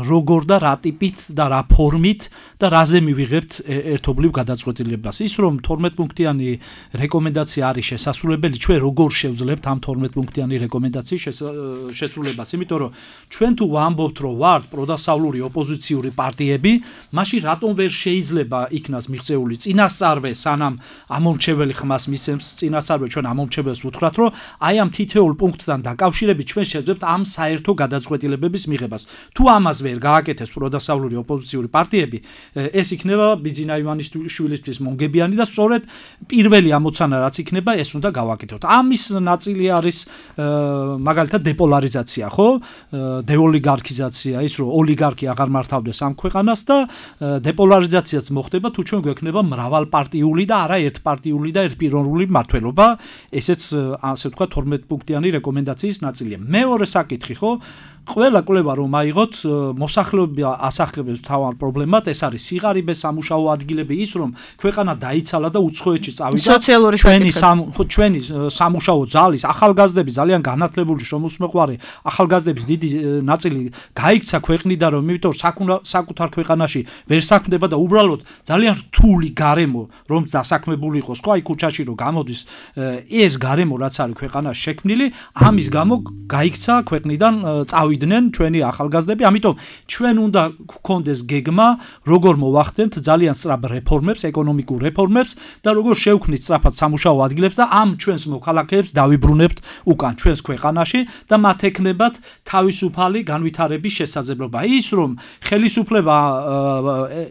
C: როგორ და რა ტიპით და რა ფორმით და რაზე მივიღებთ ერთობლივ გადაწყვეტილებას. ის რომ 12 პუნქტიანი რეკომენდაცია არის შესასრულებელი, ჩვენ როგორ შევძლებთ ამ 12 პუნქტიანი რეკომენდაციის შესრულებას, იმიტომ რომ ჩვენ თუ ვამბობთ, რომ ვართ პროდასავლური ოპოზიციური პარტიები, მაშინ რატომ ვერ შეიძლება იქნას მიღწეული წინასწარვე, სანამ ამორჩეველი ხმას მისცემს წინასწარვე ჩვენ ამორჩეველს ვუთხრათ, რომ აი ამ თითოეულ პუნქტთან დაკავშირებით ჩვენ შევძლებთ ამ საერთო გადაწყვეტილებების მიღებას. თუ ამას ვერ გააკეთებს პროდასავლური ოპოზიციური პარტიები, ეს იქნება ბიძინა ივანიშვილისთვის მონგებიანი და სწორედ პირველი ამოცანა რაც იქნება, ეს უნდა გავაკეთოთ. ამის ნაწილი არის მაგალითად დეპოლარიზაცია, ხო? დეოლიგარქიზაცია, ის რომ ოლიგარქი აღარ მართავდეს ამ ქვეყანას და დეპოლარიზაციაც მოხდება თუ ჩვენ გვექნება მრავალპარტიული და არა ერთპარტიული და ერთპიროვნული მმართველობა. ესეც ასე ვთქვათ 12 პუნქტიანი რეკომენდაციის ნაწილია. მეორე საკითხი, ხო? ყველა კვლევა რომ აიღოთ, მოსახლეობა ასახლებებს თავარ პრობლემად, ეს არის სიღარიბე, სამუშაო ადგილები, ის რომ ქვეყანა დაიცალა და უცხოეთში წავიდა. ჩვენი სამუშაო ძალის ახალგაზრდები ძალიან განათლებული შრომისმოყვარე ახალგაზრდების დიდი ნაწილი გაიქცა ქვეყნიდან, რომ იმიტომ საკუთარ ქვეყანაში ვერ საქმდება და უბრალოდ ძალიან რთული გარემო რომ დასაქმებული იყოს, ხო, აი ქუჩაში რომ გამოდის ეს გარემო რაც არის ქვეყანაში შექმნილი, ამის გამო გაიქცა ქვეყნიდან წავიდა გავიდნენ ჩვენი ახალგაზრდები, ამიტომ ჩვენ უნდა გქონდეს გეგმა, როგორ მოვახდენთ ძალიან სწრაფ რეფორმებს, ეკონომიკურ რეფორმებს და როგორ შევქმნით სწრაფად სამუშაო ადგილებს და ამ ჩვენს მოქალაქეებს დავიბრუნებთ უკან ჩვენს ქვეყანაში და მათ ექნებათ თავისუფალი განვითარების შესაძლებლობა. ის რომ ხელისუფლება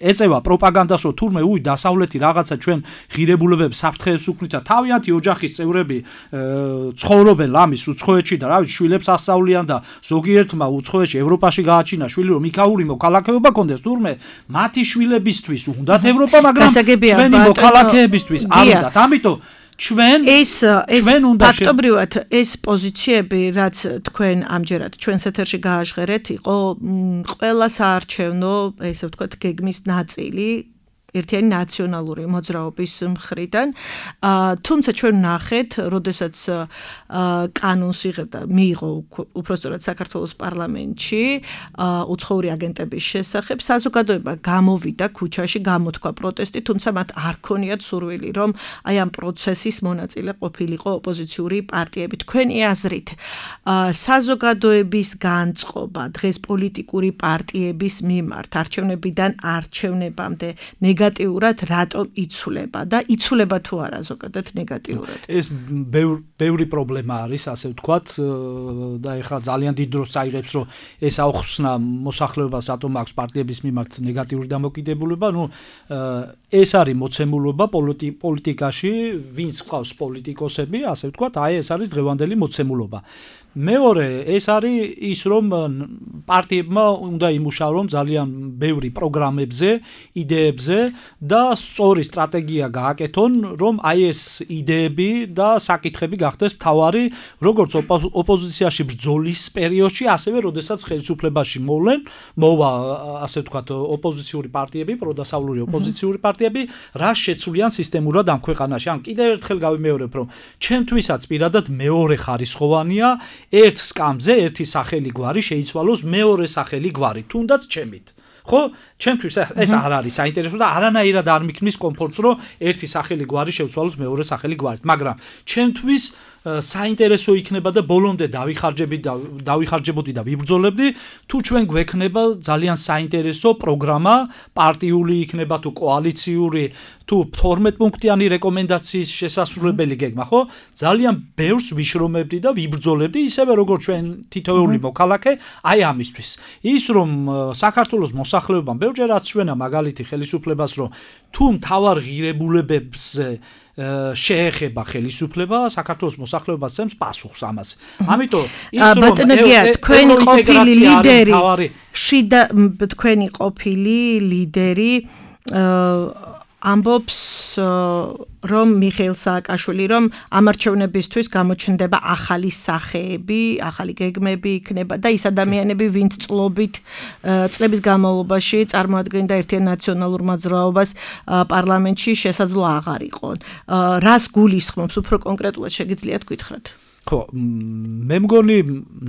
C: ეწევა პროპაგანდას, რომ თურმე დასავლეთი რაღაცა ჩვენ ღირებულებებს საფრთხეებს უქმნით და თავიანთი ოჯახის წევრები ცხოვრობენ ლამის უცხოეთში და შვილებს ასწავლიან და ზოგიერთმა უცხოეთში ევროპაში გააჩინა შვილი რომ იქაური მოქალაქეობა კონდეს თურმე მათი შვილებისთვის უნდათ ევროპა, მაგრამ ჩვენი მოქალაქეებისთვის არ უნდათ. ამიტომ ჩვენ უნდა
B: ფაქტობრივად ეს პოზიციები, რაც თქვენ ამჯერად ჩვენს ეთერში გააჟღერეთ, იყო ყველა საარჩევნო, ესე ვთქვათ, გეგმის ნაწილი ერთიანი ნაციონალური მოძრაობის მხრიდან. თუმცა ჩვენ ნახეთ, როდესაც კანონს იღებდა, მიიღო უпростоრად საქართველოს პარლამენტში უცხოური აგენტების შესახებ, საზოგადოება გამოვიდა ქუჩაში, გამოთქვა პროტესტი, თუმცა მათ არ ქონიათ სურვილი, რომ აი ამ პროცესის მონაწილე ყოფილიყო ოპოზიციური პარტიები. თქვენი აზრით, საზოგადოების განწყობა დღეს პოლიტიკური პარტიების მიმართ არჩევნებიდან არჩევნებამდე ნეგატიურად რატომ იცვლება და იცვლება თუ არა ზოგადად ნეგატიურად?
C: ეს ბევრი პრობლემა არის, ასე ვთქვათ, და ეხლა ძალიან დიდ დროს წაიღებს, რომ ეს აუხსნა მოსახლეობას რატომ აქვს პარტიების მიმართ ნეგატიური დამოკიდებულება. ეს არის მოცემულობა პოლიტიკაში, ვინც ყავს პოლიტიკოსები, ასე ვთქვათ, აი ეს არის დღევანდელი მოცემულობა. მეორე, ეს არის ის, რომ პარტიებმა უნდა იმუშაონ ძალიან ბევრი პროგრამებზე, იდეებზე და სწორი სტრატეგია გააკეთონ, რომ აი ეს იდეები და საკითხები გახდეს მთავარი, როგორც ოპოზიციაში ბრძოლის პერიოდში, ასევე როდესაც ხელისუფლებაში მოვა, ასე ვთქვათ, ოპოზიციური პარტიები, პროდასავლური ოპოზიციური პარტიები, რა შეცვლიან სისტემურად ამ ქვეყანაში. ან კიდევ ერთხელ გავიმეორებ, რომ ჩემთვისაც პირადად მეორე ხარისხოვანია ერთ სკამზე ერთი სახელი გვარი შეიცვალოს მეორე სახელი გვარი, თუნდაც ჩემით. ხო, ჩემთვის ეს არ არის საინტერესო და არანაირად არ მიქმნის კომფორტს, რომ ერთი სახელი გვარი შევცვალოს მეორე სახელი გვარით, მაგრამ ჩემთვის საინტერესო იქნება და ბოლომდე დავიხარჯებოდი და ვიბრძოლებდი, თუ ჩვენ გვექნება ძალიან საინტერესო პროგრამა, პარტიული იქნება თუ კოალიციური, თუ 12 პუნქტიანი რეკომენდაციის შესასრულებელი გეგმა, ხო? ძალიან ბევრს ვიშრომებდი და ვიბრძოლებდი, ისევე როგორც ჩვენ თითოეული მოქალაქე, აი ამისთვის. ის რომ საქართველოს მოსახლეობამ ბევრჯერ აჩვენა მაგალითი ხელისუფლებას, რომ თუ მთავარ ღირებულებებზე შეეხება ხელისუფლება, საქართველოს მოსახლეობას სცემს პასუხს ამას. ამიტომ ის რომ
B: თქვენი ყოფილი ლიდერი, შიდა თქვენი ყოფილი ლიდერი ამბობს, რომ მიხეილ სააკაშვილი, რომ ამ არჩევნებისთვის გამოჩნდება ახალი სახეები, ახალი გეგმები იქნება და ის ადამიანები, ვინც წლების განმავლობაში წარმოადგენდა ერთიან ნაციონალურ მოძრაობას პარლამენტში, შესაძლო აღარ იყონ. რას გულისხმობს, უფრო კონკრეტულად შეგიძლიათ გითხრათ?
C: ხო, მე მგონი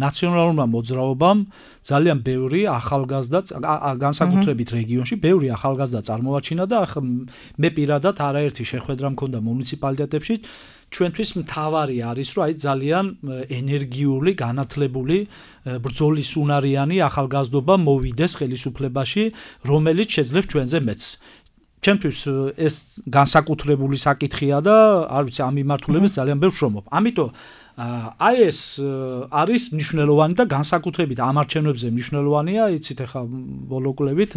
C: ნაციონალურმა მოძრაობამ ძალიან ბევრი ახალგაზრდა, განსაკუთრებით რეგიონში, ბევრი ახალგაზრდა წარმოაჩინა და მე პირადად არაერთი შეხვედრა მქონდა მუნიციპალიტეტებში. ჩვენთვის მთავარი არის, რომ აი ძალიან ენერგიული, განათლებული, ბრძოლის უნარიანი ახალგაზრდობა მოვიდეს ხელისუფლებაში, რომელიც შეძლებს ჩვენზე მეც. ჩემთვის ეს განსაკუთრებული საკითხია და არ ვიცი, ამ მიმართულებით ძალიან ბევრს შრომობ. ამიტომ აი ეს არის მნიშვნელოვანი და განსაკუთრებით ამ არჩევნებზე მნიშვნელოვანია, იცით ახლა ბოლოკლებით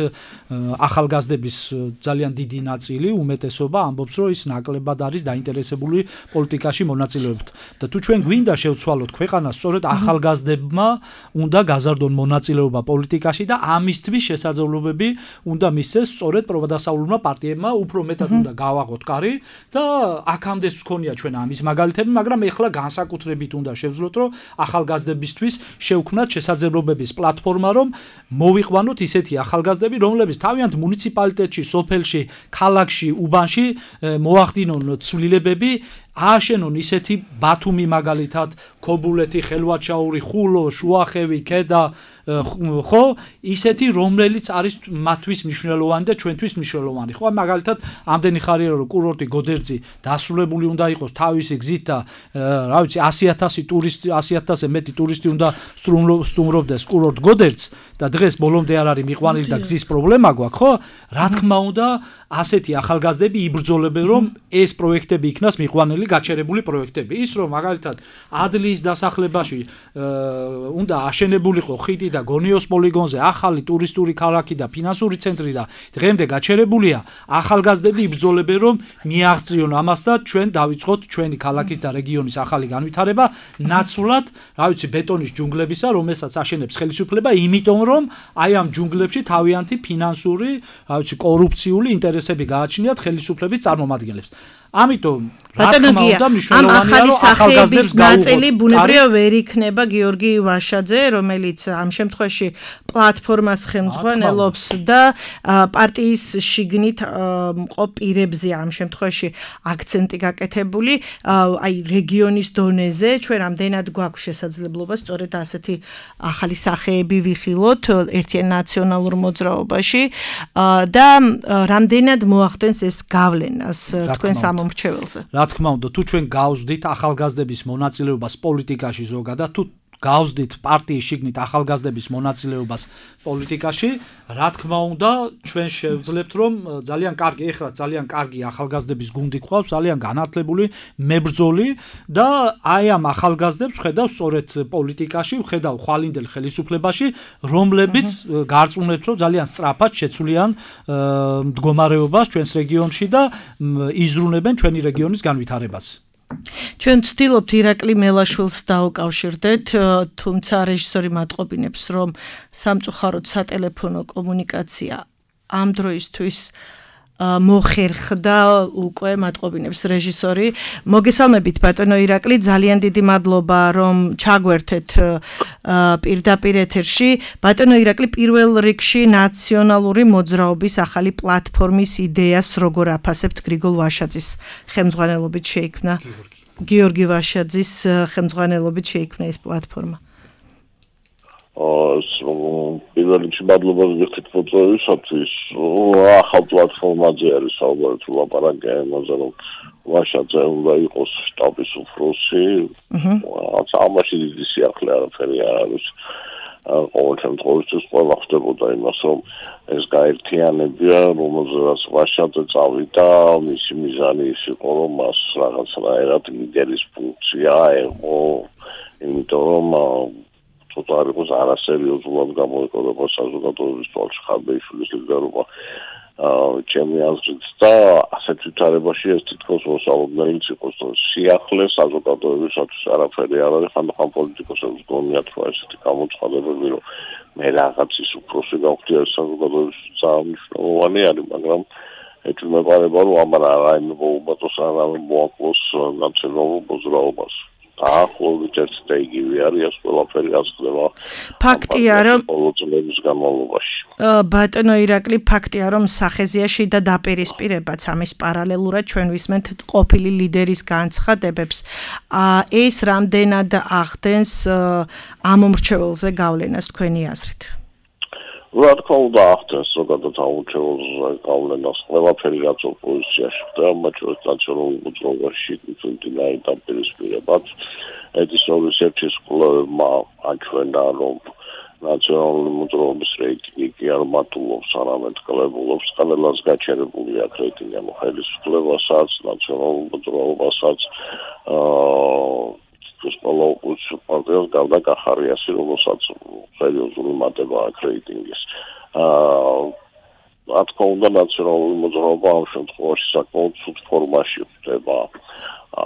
C: ახალგაზრდების ძალიან დიდი ნაწილი, უმეტესობა ამბობს, რომ ის ნაკლებად არის დაინტერესებული პოლიტიკაში მონაწილეობით. და თუ ჩვენ გვინდა შევცვალოთ ქვეყანას, სწორედ ახალგაზრდებმა უნდა გაზარდონ მონაწილეობა პოლიტიკაში და ამისთვის შესაძლებლობები უნდა მისცეს სწორედ პროდასავლურმა პარტიებმა, უფრო მეტად უნდა გავაღოთ კარი და აქამდეც გქონია ჩვენ ამის მაგალითები, მაგრამ ეხლა განსაკუთრებით უნდა შევძლოთ, რომ ახალგაზრდებისთვის შევქმნათ შესაძლებლობების პლატფორმა, რომ მოვიყვანოთ ისეთი ახალგაზრდები, რომლებიც თავიანთ მუნიციპალიტეტში, სოფელში, ქალაქში, უბანში მოახდინონ ცვლილებები ააშენონ ისეთი ბათუმი მაგალითად, ქობულეთი, ხელვაჩაური, ხულო, შუახევი, ქედა, ხო, ისეთი რომელიც არის მათთვის მნიშვნელოვანი და ჩვენთვის მნიშვნელოვანი. ხო, მაგალითად, ამდენი ხარია რომ კურორტი გოდერძი დასრულებული უნდა იყოს თავისი გზით და რა ვიცი 100,000 ტურისტი, 100,000-ზე მეტი ტურისტი უნდა სტუმრობდეს კურორტ გოდერძს და დღეს ბოლომდე არ არის მიყვანილი და გზის პრობლემა გვაქვს, ხო? რა თქმა უნდა, ასეთი ახალგაზრდები იბრძოლებენ რომ ეს პროექტები იქნას მიყვანილი გაჩერებული პროექტები. ის რომ მაგალითად ადლიის დასახლებაში უნდა აშენებულიყო ხიდი და გონიოს პოლიგონზე ახალი ტურისტული ქალაქი და ფინანსური ცენტრი და დღემდე გაჩერებულია, ახალგაზრდები იბრძოლებენ რომ მიაღწიონ ამას და ჩვენ დავიწყოთ ჩვენი ქალაქის და რეგიონის ახალი განვითარება ნაცვლად, რა ვიცი, ბეტონის ჯუნგლებისა, რომელსაც აშენებს ხელისუფლება, იმიტომ რომ აი ამ ჯუნგლებში თავიანთი ფინანსური, რა ვიცი, კორუფციული ინტერესები გააჩნიათ ხელისუფლების წარმომადგენლებს. ამიტომ რა თქმა უნდა მნიშვნელოვანია რომ ახალგაზრდებს
B: ნაწილი ბუნებრივად ვერ იქნება გიორგი ვაშაძე, რომელიც ამ შემთხვევაში პლატფორმას ხელმძღვანელობს და პარტიის შიგნით მყოფ პირებზე ამ შემთხვევაში აქცენტი გაკეთებული აი რეგიონის დონეზე ჩვენ რამდენად გვაქვს შესაძლებლობა სწორედ ასეთი ახალი სახეები ვიხილოთ ერთიან ნაციონალურ მოძრაობაში და რამდენად მოახდენს ეს გავლენას თქვენ სამომრჩეველზე.
C: რა თქმა უნდა, თუ ჩვენ გავსდით ახალგაზრდების მონაწილეობას პოლიტიკაში ზოგადად, თუ გავსდით პარტიის შიგნით ახალგაზრდების მონაწილეობას პოლიტიკაში, რა თქმა უნდა, ჩვენ შევძლებთ რომ ძალიან კარგი, ეხლა ძალიან კარგი ახალგაზრდების გუნდი გვყავს, ძალიან განათლებული, მებრძოლი და აი ამ ახალგაზრდებს ხედავ სწორედ პოლიტიკაში, ხედავ ხვალინდელ ხელისუფლებაში, რომლებიც გარწმუნებთ რომ ძალიან სწრაფად შეცვლიან მდგომარეობას ჩვენს რეგიონში და იზრუნებენ ჩვენი რეგიონის განვითარებას.
B: ჩვენ ვცდილობთ ირაკლი მელაშვილს დაუკავშირდეთ, თუმცა რეჟისორი მატყობინებს, რომ სამწუხაროდ სატელეფონო კომუნიკაცია ამ დროისთვის მოხერხდა უკვე მატყობინებს რეჟისორი. მოგესალმებით ბატონო ირაკლი, ძალიან დიდი მადლობა რომ ჩაგვერთეთ პირდაპირ ეთერში. ბატონო ირაკლი, პირველ რიგში ნაციონალური მოძრაობის ახალი პლატფორმის იდეას როგორ აფასებთ გრიგოლ ვაშაძის ხელმძღვანელობით შეიქმნა? გიორგი ვაშაძის ხელმძღვანელობით შეიქმნა ეს პლატფორმა.
F: პირველ რიგში მადლობა გიხდით მოწვევისათვის. ახალ პლატფორმაზე არის საუბარი თუ ლაპარაკი ამაზე რომ ვაშაძე უნდა იყოს შტაბის უფროსი. ამაში დიდი სიახლე არაფერი არ არის. ყოველ შემთხვევაში ყველა ხდებოდა იმას რომ ეს გაერთიანებია, რომელზეც ვაშაძე წავიდა, მისი მიზანი ის იყო რომ მას რაღაცნაირად ლიდერის ფუნქცია აეღო, იმიტომ რომ ცოტა არ იყოს არასერიოზულად გამოიყურება საზოგადოების თვალში ხარბეიშვილის ლიდერობა ჩემი აზრით და ასეთ ვითარებაში ეს თითქოს მოსალოდნელიც იყოს რომ სიახლე საზოგადოებისათვის არაფერი არ არის ხანდახან პოლიტიკოსებს გონიათ რომ ესეთი გამოცხადებები რომ მე რაღაცის უფროსი გავხდი ეს საზოგადოებისთვის ძალიან მნიშვნელოვანი არის მაგრამ ეჭვმეყარება რომ ამან რაიმე მოუმატოს რაიმე მოაკლოს ნაციონალურ მოძრაობას ახლობით ერთ და იგივე არის ეს ყველაფერი ასხდება
B: ფაქტია რომ
F: ყოველწლების განმავლობაში
B: ბატონო ირაკლი ფაქტია რომ სახეზიაში და დაპირისპირებაც ამის პარალელურად ჩვენ ვისმენთ ყოფილი ლიდერის განცხადებებს ეს რამდენად ახდენს ამომრჩეველზე გავლენას თქვენი აზრით
F: რა თქმა უნდა ახდენს ზოგადად ამომრჩეველზე გავლენას ყველაფერი რაც ოპოზიციაში ხდება მათ შორის ნაციონალურ მოძრაობაში თუნდაც დაპირისპირებაც ედისოვის ერთის კვლევებმა აჩვენა რომ ნაციონალური მოძრაობის რეიტინგი კი არ მატულობს არამედ კლებულობს ყველას გაჩერებული აქვს რეიტინგი ამ ხელისუფლებასაც ნაციონალურ მოძრაობასაც ყველა ოპოზიციურ პარტიას გავდა კახარიასი რომელსაც სერიოზული მატება აქვს რეიტინგის რა თქმა უნდა ნაციონალური მოძრაობა ამ შემთხვევაში საკმაოდ ცუდ ფორმაში ხდება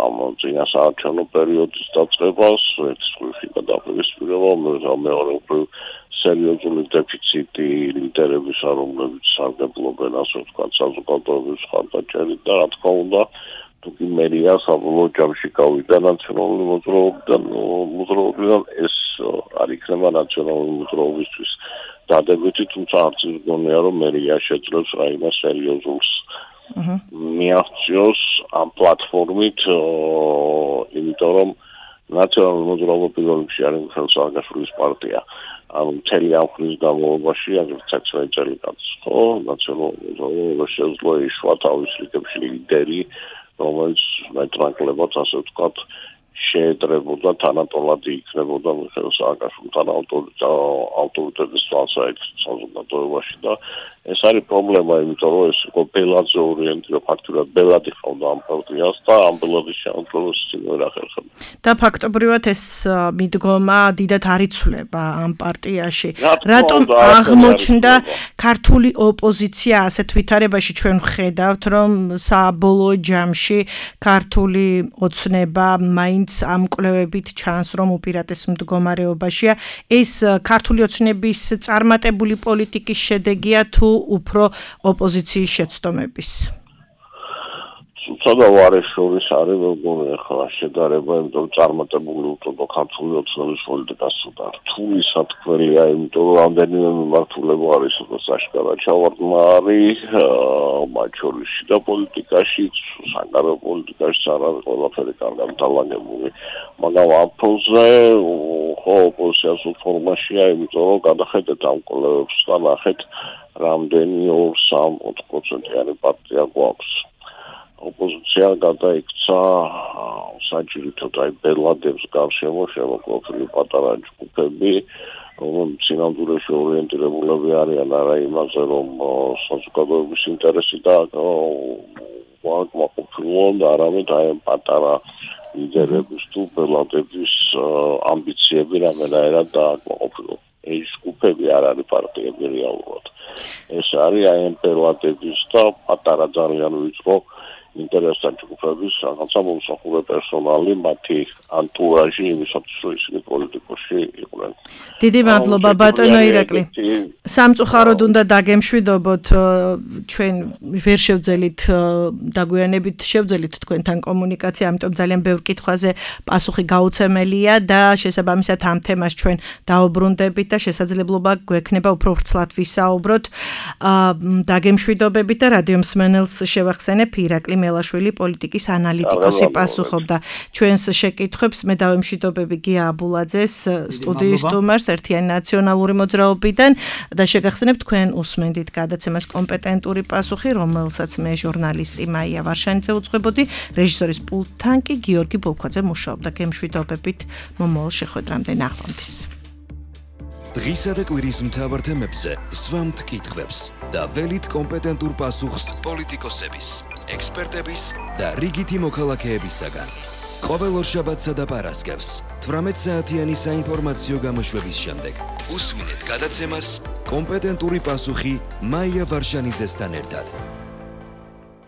F: ამ წინასაარჩევნო პერიოდის დაწყებას ერთის მხრივ გადაპირისპირება მეორე მხრივ სერიოზული დეფიციტი ლიდერებისა რომლებიც სარგებლობენ ასე ვთქვათ საზოგადოების მხარდაჭერით და რა თქმა უნდა თუკი მერია საბოლოო ჯამში გავიდა ნაციონალური მოძრაობიდან ეს არ იქნება ნაციონალური მოძრაობისთვის დადებითი თუმცა არც ის გონია რომ მერია შეძლებს რაიმე სერიოზულს მიაღწიოს ამ პლატფორმით, იმიტომ რომ ნაციონალური მოძრაობა პირველ რიგში არის მიხეილ სააკაშვილის პარტია. ანუ მთელი ამ ხნის განმავლობაში, აგრეთვე 16 წელიწადს, ხო, ნაციონალური მოძრაობა შეძლო ეშვა თავის რიგებში ლიდერი, რომელიც მეტნაკლებად, ასე ვთქვათ, შეედრებოდა თანატოლად იქნებოდა მიხეილ სააკაშვილთან ავტორიტეტის თვალსაჩინო საზოგადოებაში და ეს არის პრობლემა, იმიტომ რომ ეს იყო ბელაძე ორიენტირება, ფაქტურად ბელადი ხავდა ამ პარტიას და ამ ბელადის შემოწმებას წინ ვერ ახერხებდა.
B: და ფაქტობრივად ეს მიდგომა დიდად არ იცვლება ამ პარტიაში. რატომ აღმოჩნდა ქართული ოპოზიცია ასეთ ვითარებაში? ჩვენ ვხედავთ, რომ საბოლოო ჯამში ქართული ოცნება მაინც ამ კვლევებით ჩანს, რომ უპირატეს მდგომარეობაშია. ეს ქართული ოცნების წარმატებული პოლიტიკის შედეგია თუ უფრო ოპოზიციის შეცდომების?
F: ცოტა ვარეს შორის არის მეგონი ახლა შედარება, იმიტომ წარმატებული უწოდო ქართული ოცნების პოლიტიკას და რთული სათქმელია, იმიტომ რომ რამდენიმე მიმართულება არის საშკარად ჩავარდნარი, მათ შორის შიდა პოლიტიკაში, საგარეო პოლიტიკაში არის ყველაფერი კარგად დალაგებული, მაგრამ ამ ფონზე ხო ოპოზიციას ფორმაშია, იმიტომ რომ გადახედეთ ამ კვლევებს და ნახეთ რამდენი 2-3% პარტია გვაქვს. ოპოზიცია გადაიქცა საჭიროთად აი ბელადებს გარშემო შემოყოფილი პატარა ჯგუფები, რომლებიც სინამდვილეში ორიენტირებულები არიან არა იმაზე, რომ საზოგადოების ინტერესი და მოყოფილონ, არამედ აი პატარა ლიდერების თუ ბელადების ამბიციები რამენაირად დააკმაყოფილონ. ეს ჯგუფები არ არის პარტიები რეალურად. ეს არის აი ბელადების და პატარა ძალიან ვიწრო ინტერესთან ჯგუფების რაღაცა მომსახურე პერსონალი, მათი ანტურაჟი იმისათვის, რომ ისინი პოლიტიკაში იყვნენ.
B: დიდი მადლობა ბატონო ირაკლი. სამწუხაროდ უნდა დაგემშვიდობოთ, ჩვენ ვერ შევძელით დაგვიანებით შევძელით თქვენთან კომუნიკაცია, ამიტომ ძალიან ბევრ კითხვაზე პასუხი გაუცემელია და შესაბამისად ამ თემას ჩვენ დაუბრუნდებით და შესაძლებლობა გვექნება უფრო ვრცლად ვისაუბროთ. დაგემშვიდობებით და რადიო მსმენელს შევახსენებ, ირაკლი მელაშვილი პოლიტიკის ანალიტიკოსი პასუხობდა ჩვენს შეკითხვებს. მე დავემშვიდობები გია აბულაძეს, სტუდიის სტუმარს ერთიანი ნაციონალური მოძრაობიდან და შეგახსენებ თქვენ უსმენდით გადაცემას კომპეტენტური პასუხი, რომელსაც მე ჟურნალისტი მაია ვარშანიძე უძღვებოდი, რეჟისორის პულტთან კი გიორგი ბოლქვაძე მუშაობდა. გემშვიდობებით მომავალ შეხვედრამდე, ნახვამდის.
A: დღისა და კვირის მთავარ თემებზე სვამთ კითხვებს და ველით კომპეტენტურ პასუხს პოლიტიკოსების, ექსპერტების და რიგითი მოქალაქეებისაგან. ყოველ ორშაბათსა და პარასკევს 18 საათიანი საინფორმაციო გამოშვების შემდეგ უსვინეთ გადაცემას კომპეტენტური პასუხი მაია ვარშანიძესთან ერთად.